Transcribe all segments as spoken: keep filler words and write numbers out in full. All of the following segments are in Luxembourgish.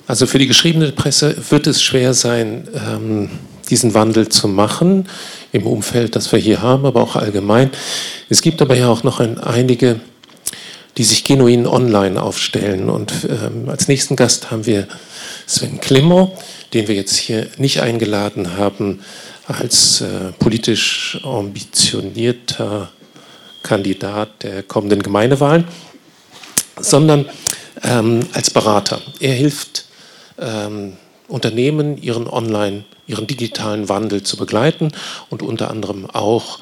Also für die geschriebene Presse wird es schwer sein, ähm, diesen Wandel zu machen im Umfeld, das wir hier haben, aber auch allgemein. Es gibt aber ja auch noch ein, einige, die sich genuin online aufstellen. Und ähm, als nächsten Gast haben wir Sven Klimmer, den wir jetzt hier nicht eingeladen haben als äh, politisch ambitionierter Kandidat der kommenden Gemeindewahlen, sondern ähm, als Berater. Er hilft ähm, Unternehmen, ihren online, ihren digitalen Wandel zu begleiten und unter anderem auch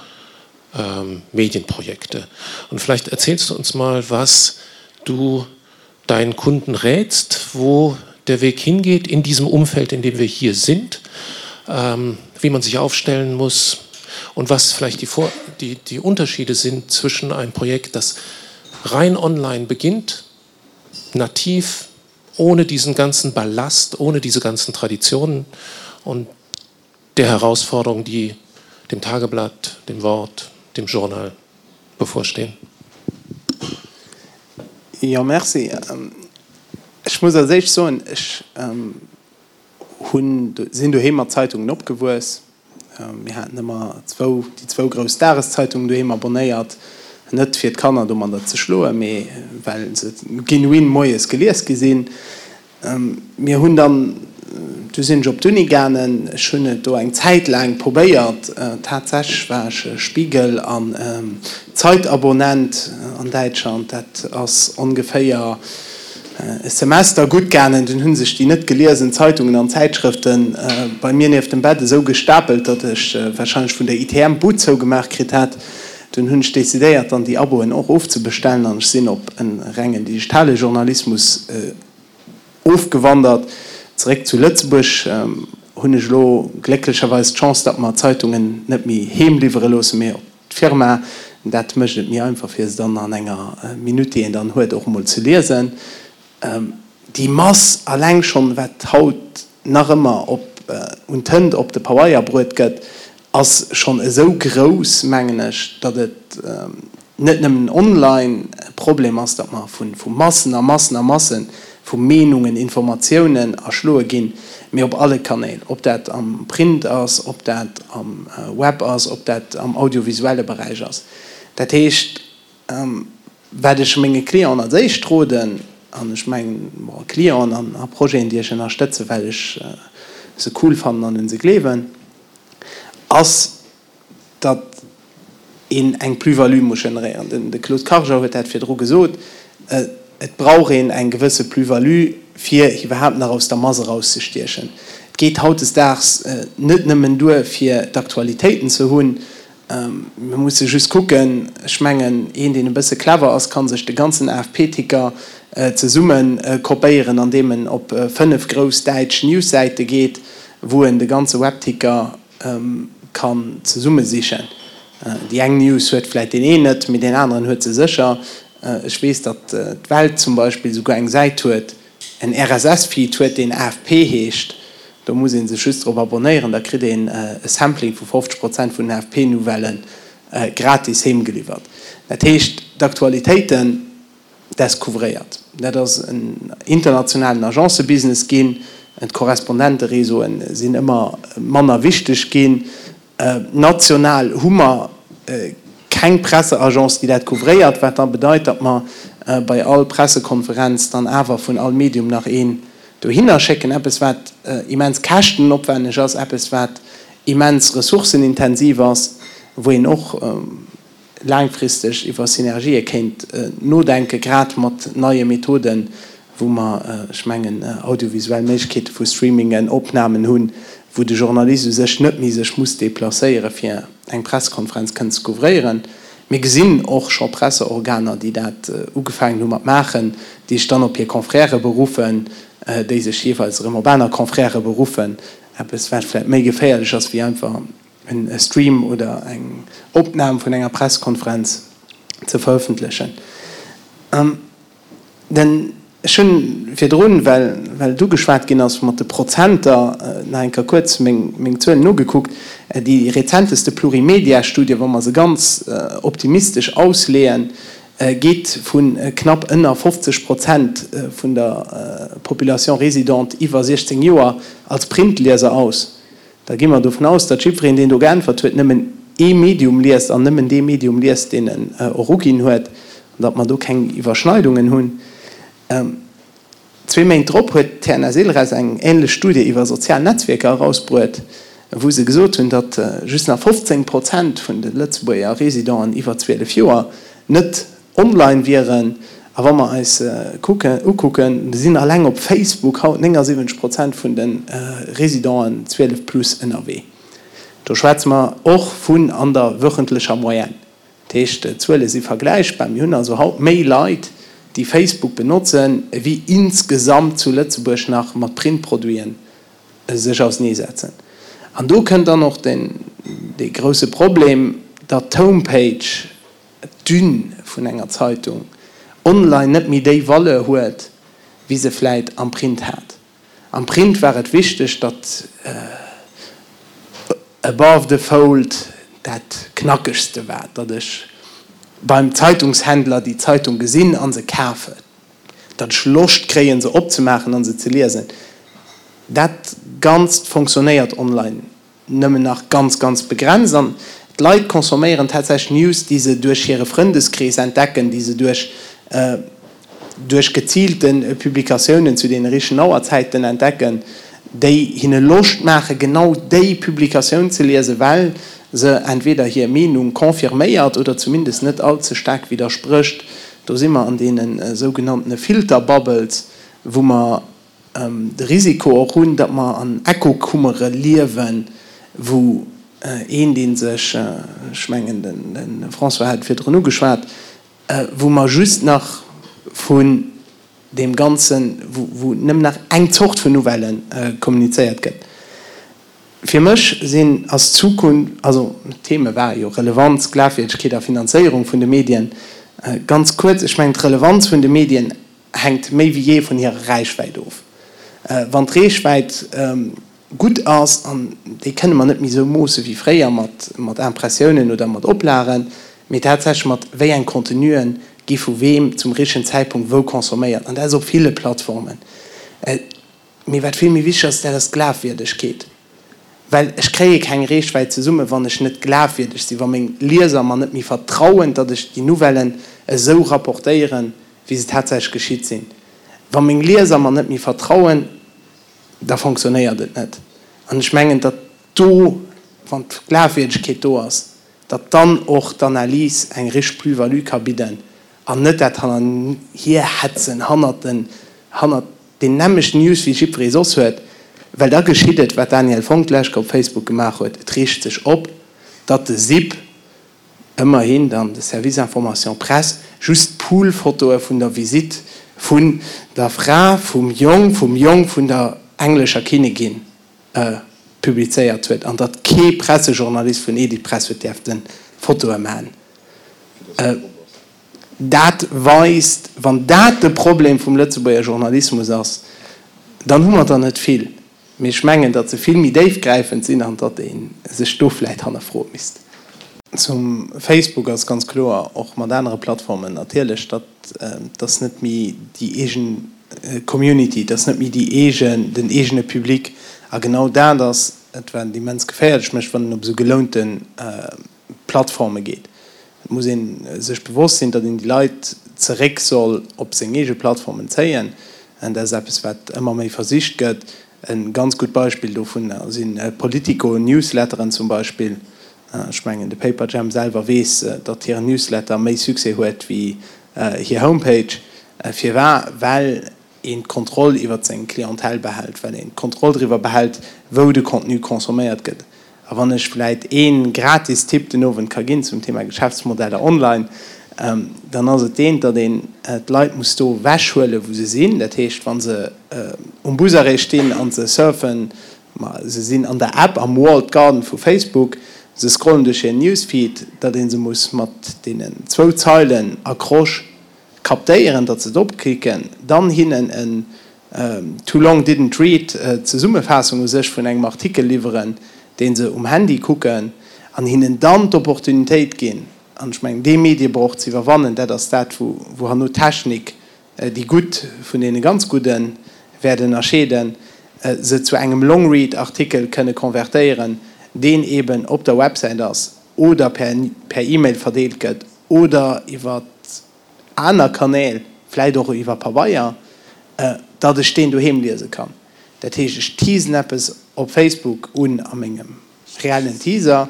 ähm, Medienprojekte. Und vielleicht erzählst du uns mal, was du deinen Kunden rätst, wo der Weg hingeht in diesem Umfeld, in dem wir hier sind, ähm, wie man sich aufstellen muss und was vielleicht die, Vor die, die Unterschiede sind zwischen einem Projekt, das rein online beginnt, nativ, ohne diesen ganzen Ballast, ohne diese ganzen Traditionen und der Herausforderung, die dem Tageblatt, dem Wort, dem Journal bevorstehen. Jo, merci. Ech muss als éischt soen, ech hunn, sinn doheem mat Zeitungen opgewuess. Mir haten ëmmer zwou, déi zwou grouss Dageszeitungen doheem abonnéiert, net fir d'Kanner domadder ze schloen, mee well se genuin moies gelies gi sinn. Mir hunn dann, du sinn ech op d'Uni gaangen, ech hunn et do eng Zäit laang probéiert, tatsächlech war ech Spiegel an Zeit-Abonnent an Däitschland, dat ass ongeféier e Semester gutt gaangen, dunn hu sech déi net geliesen Zeitungen an Zäitschrëfte bei mir nieft dem Bett esou gestapelt, datt ech warscheinlech vun der I T M d'Bud zougemaach kritt hätt. Dunn hunn ech decidéiert, dann déi Aboen och ofzebestellen an ech sinn op e rengen digitale Journalismus ofgewandert. Zeréck zu Lëtzebuerg hunn ech elo glécklecherweis d'Chance, datt mer d'Zeitungen net méi heem liwwere loossen, mee op d'Firma. Dat mécht et méi einfach, fir se dann an enger Minutt, déi een dann huet, och emol ze liesen. Déi Mass alleng schonn, wat haut nach ëmmer op un Tënt op de Pabeier bruet gëtt, ass schonn esou grouss, mengen ech, datt et net nëmmen online e Problem ass, datt mer vu Massen a Massen a Masse vu Meenungen, Informatiounen erschloe ginn, mee op alle Kanäl, ob dat am Print ass, ob dat am Web ass, ob dat am audiovisuelle Beräich ass. Dat heescht, wat ech menge Clienten als éischt roden, an ech mengen, bon, Clienten a Projeten, déi ech ënnerstëtzen, well ech se cool fannen an un se gleewen, ass, datt een eng Plus-value muss generéieren. De Claude Karger huet dat virdru gesot, et brauch een eng gewësse Plus-value, fir iwwerhaapt nach aus der Mass erauszestiechen. Et geet hautdesdaags net nëmmen duer, fir d'Aktualitéiten ze hunn. Mir musse just kucken, ech mengen, een, deen e bësse clever ass, ka sech de ganzen A F P-Ticker zesumme kopéieren, andeem en op fënnef grouss däitsch Newssäite geet, wou en de ganze Webticker kann zesummesichen. Déi eng News huet vläit deen een net, mee deen aneren huet se sécher. Ech weess, datt d'Welt zum Beispill souguer eng Säit huet, en R S S-Feed huet, deen A F P heescht. Do muss ee sech just drop abonnéieren, da kritt een e Sampling vu fofzeg Prozent vun den A F P-Nouvellë gratis heemgeliwwert. Dat heescht, d'Aktualitéiten descouvréiert. Dat ass en internationalen Agencebusiness ginn, d'Korrespondenteréseaue sinn ëmmer manner wichteg ginn. National hu mer keng Presseagence, déi dat couvréiert, wat da bedeit, datt mer bei all Pressekonferenz dann awer vun all Medium nach een dohinner schécken. Eppes, wat immens käschtenopwenneg ass, eppes, wat immens ressourcenintensiv ass, wou een och laangfristeg iwwer Synergië kéint nodenken, grad mat neie Methoden, wou mer, ech mengen, audiovisuell Méiglechkeete vu Streamingen, Opnamen hunn, wou de Journalist u sech net méi sech muss deplacéieren, fir eng Pressekonferenz kënnen ze couvréieren. Mir gesinn och scho Presseorganer, déi dat ugefaangen hu mat maachen, déi sech dann op hir Confrèrë beruffen, déi sech jeeweils erëm op aner Confrèrë beruffen. Eppes, wat vläicht méi geféierlech ass, wéi einfach en Stream oder eng Opnam vun enger Pressekonferenz ze verëffentlechen. Den, ech hunn virdrun, well, well du geschwat ginn ass mat de Prozenter, nach eng Kéier kuerz meng, meng Zuelen nogekuckt. Déi rezenteste Plurimedia-Studie, wa mer se ganz optimistesch ausleeën, geet vu knapp ënner fofzeg Prozent vun der Population résidente iwwer siechzéng Joer als Printlieser aus. Da gi mer dovun aus, datt jiddwereen, deen do geäntwert huet, nëmmen ee Medium liest an nëmmen dee Medium liest, deen en och uginn huet, an datt mer do keng Iwwerschneidungen hunn. Zwee Méint drop huet d'T N S-Ilres eng änlech Studie iwwer sozial Netzwierker erausbruet, wou se gesot hunn, datt just nach fofzéng Prozent vun de Lëtzebuerger Residenten iwwer zwielef Joer net online wieren. A wa mer eis kucken, ukucken, sinn alleng op Facebook haut néngasiwwenzeg Prozent vun de Residenten zwielef plus ënnerwee. Do schwätze mer och vun an der wöchentlecher Moyenne. Dat heescht, d'Zuele si vergläichbar. Mir hunn also haut méi Leit, déi Facebook benotzen, ewéi insgesamt zu Lëtzebuerg nach mat Printproduiten sech auseneesetzen. An do kënnt dann och den, dee grousse Problem, datt d'Homepage, d'Une vun enger Zeitung, online net méi déi Valeur huet, wéi se vläit am Print hat. Am Print war et wichteg, datt above the fold dat Knackegste war, datt ech beim Zeitungshändler déi Zeitung gesinn a se kafen, datt ech Loscht kréien, se opzemaachen a se ze liesen. Dat Ganzt fonctionnéiert online nëmmen nach ganz, ganz begrenzt an d'Leit consomméieren tatsächlech News, déi se duerch hire Frëndeskrees entdecken, déi se duerch duerch geziilte Publikatiounen zu deene richtegen Auerzäiten entdecken, déi hinne Loscht maachen, genau déi Publikatioun ze liesen, well se entweder hir Meenung confirméiert oder zumindest net all ze staark widdersprécht. Do si mer an deene sougenanntene Filterbubbles, wou mer de Risiko och hunn, datt mer an Echokummere liewen, wou een, dee sech, ech mengen, de François hat et virdrun ugeschwat, wou mer just nach vun deem Ganzen, wou nëmmen nach eng Zort vun Nouvellë kommunizéiert gëtt. Fir mech sinn, ass d'Zukunft, also d'Theme ware jo Relevanz, Glafwierdegkeet a Finanzéierung vun de Medien. Ganz kuerz, ech mengen d'Relevanz vun de Medien hänkt méi wéi jee vun hirer Räichwäit of. Wann d'Reechwäit gutt ass, an déi kënne mer net méi esou moosse wéi fréier mat mat Impressiounen oder mat Oplagen, mee tatsächlech mat wéi eng Contenuen gi vu weem zum richtegen Zäitpunkt wou consomméiert, an dat ass op ville Plattformen. Mee wat vill méi wichteg ass, dat ass d'Glafwierdegkeet. Well ech kréie keng Reechwäit zesummen, wann ech net glafwierdeg sinn, wa meng Lieser mer net méi vertrauen, datt ech déi Nouvellen esou rapportéieren, wéi se tatsächlech geschitt sinn. Wa meng Lieser mer net méi vertrauen, da fonctionnéiert et net. An ech mengen, datt do, wann d'Glafwierdegkeet do ass, datt dann och d'Analys eng richteg Plus-value ka bidden an net dat Hannerhierhetzen hannert den, hannert deen nämmlechten News wéi jiddweree soss huet, well da geschitt et, wat d'Danièle Fonck d'lescht op Facebook gemaach huet, et reegt sech op, datt de SIP, ëmmerhin dann de Service Information Presse, just Poolfotoe vun der Visitt vun der Fra vum Jong vum Jong vun der englescher Kinnigin publizéiert huet an datt kee Pressejournalist vun Editpress huet däerfte Fotoe maachen. Dat weist, wann dat de Problem vum Lëtzebuerger Journalismus ass, dann hu mer der net vill. Mee ech mengen, datt se vill méi déifgräifend sinn an datt ee sech do vläicht hannerfroe misst. Zum Facebook ass ganz kloer, och mat anere Plattformen natierlech, datt ass net méi déi eegen Community, dat ass net méi déi eegen, den eegene Public. A genau dat ass et, wat immens geféierlech mécht, wann een op esou gelounte Plattforme geet. Et muss ee sech bewosst sinn, datt een déi Leit zeréck soll op seng eege Plattformen zéien. An dat ass eppes, wat ëmmer méi versicht gëtt. E ganz gutt Beispill dovunner si Politico-Newsletteren zum Beispill. Ech mengen, de Paperjam selwer weess, datt hiren Newsletter méi Succès huet wéi hir Homepage. Firwat? Well een d'Kontroll iwwer seng Clientèle behält, well een d'Kontroll driwwer behält, wou de Contenu consomméiert gëtt. A wann ech vläit ee gratis Tipp den Owend ka ginn zum Thema Geschäftsmodeller online, dann ass et deen, datt een d'Leit muss do ewechhuelen, wou se sinn. Dat heescht, wa se um Busarrêt stinn a se surfen, ma se sinn an der App am Walled Garden vu Facebook, se scrollen duerch hiren Newsfeed, datt ee se muss mat deenen zwou Zeilen Accroche kaptéieren, datt se drop klicken, dann hinnen en Too long didn't read Zesummefaassung u sech vun engem Artikel liwweren, dee se um Handy kucken, an hinnen dann d'Opportunitéit ginn, An ech mengen, dee Mediebroch ze iwwerwannen, dat ass dat, wou herno d'Technik déi Gutt vun deene ganz Gudde wäert ënnerscheeden, se zu engem Longread-Artikel kënne konvertéieren, deen eeben op der Websäit ass oder per per E-Mail verdeelt gëtt oder iwwer aner Kanäl, vläicht och iwwer Pabeier, datt ech deen doheem liese kann. Dat heescht, ech teasen eppes op Facebook un a mengem reellen Teaser,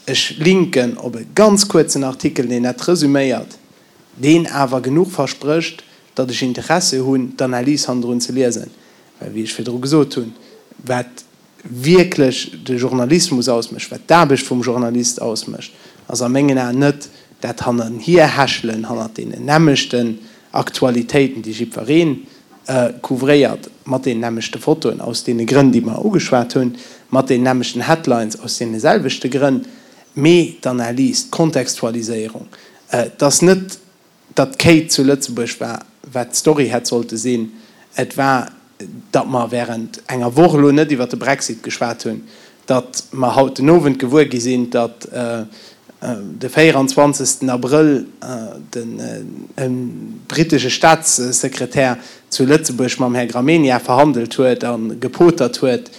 ech linken op e ganz kuerzen Artikel, deen dat resüméiert, deen awer genuch versprécht, datt ech Interesse hunn, d'Analys hannendrun ze liesen. Well, wéi ech virdru gesot hunn, wat wierklech de Journalismus ausmécht, wat d'Aarbecht vum Journalist ausmécht, ass a mengen Aen net dat Hannenhierhechelen hannert deenen nämmlechten Aktualitéiten, déi jiddweree couvréiert, mat deenen nämmlechte Fotoen, aus deene Grënn, déi mer ugeschwat hunn, mat deenen nämmlechten Headlines, aus deene selwechte Grënn, mee d'Analys, d'Kontextualiséierung. Et ass net, datt d'Kate zu Lëtzebuerg war, wat d'Story hätt sollte sinn. Et war, datt mer während enger Woch elo net iwwert de Brexit geschwat hunn, datt mer haut den Owend gewuer gi sinn, datt de véieranzwanzegsten Abrëll den brittesche Staatssekretär zu Lëtzebuerg mam Här Gramegna verhandelt huet a gepotert huet,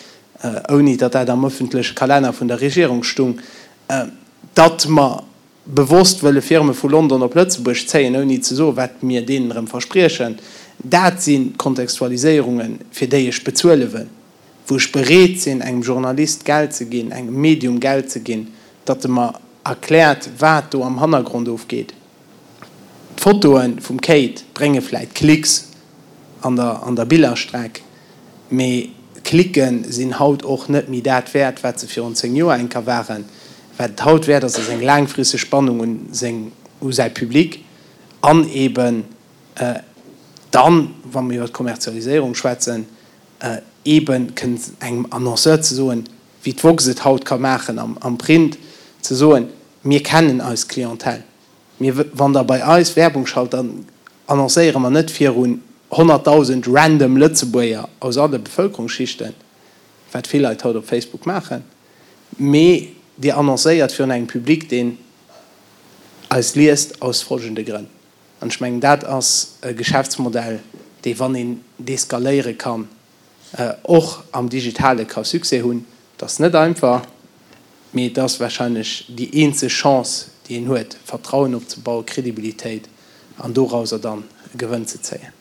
ouni datt dat am öffentleche Kalenner vun der Regierung stung, datt mer bewosst wëlle Firme vu London op Lëtzebuerg zéien, ouni ze soen, wat mir deenen erëm verspriechen. Dat sinn d'Kontextualiséierungen, fir déi ech bezuele wëll, wou ech bereet sinn, engem Journalist Geld ze ginn, engem Medium Geld ze ginn, datt e mer erkläert, wat do am Hannergrond ofgeet. D'Fotoe vum Kate brénge vläit Klicks an der an der Billerstreck, mee Klicke sinn haut och net méi dat wäert, wat se virun zéng Joer eng Kéier waren. Wat et haut wäert ass, ass eng laangfristeg Bannung un seng u säi Public an eeben dann, wa mer iwwer d'Kommerzialiséierung schwätzen, eebe kënnen engem Annonceur ze soen, wéi d'woxx et haut ka maachen am Print, ze soen, mir kennen eis Clientèle, mir, wann Der bei eis Werbung schalt, dann annoncéiere mer net virun honnertdausend random Lëtzebuerger aus alle Bevëlkerungsschichten, wat vill Leit haut op Facebook maachen, mee Dir annoncéiert virun engem Public, deen eis liest aus folgende Grënn. An ech mengen, dat ass e Geschäftsmodell, dee, wann een dee skaléiere kann, och am Digitale ka Succès hunn. Et ass net einfach, mee et ass warscheinlech déi eenzeg Chance, déi een huet, Vertrauen opzebauen, Kredibilitéit an dorauser dann e Gewënn ze zéien.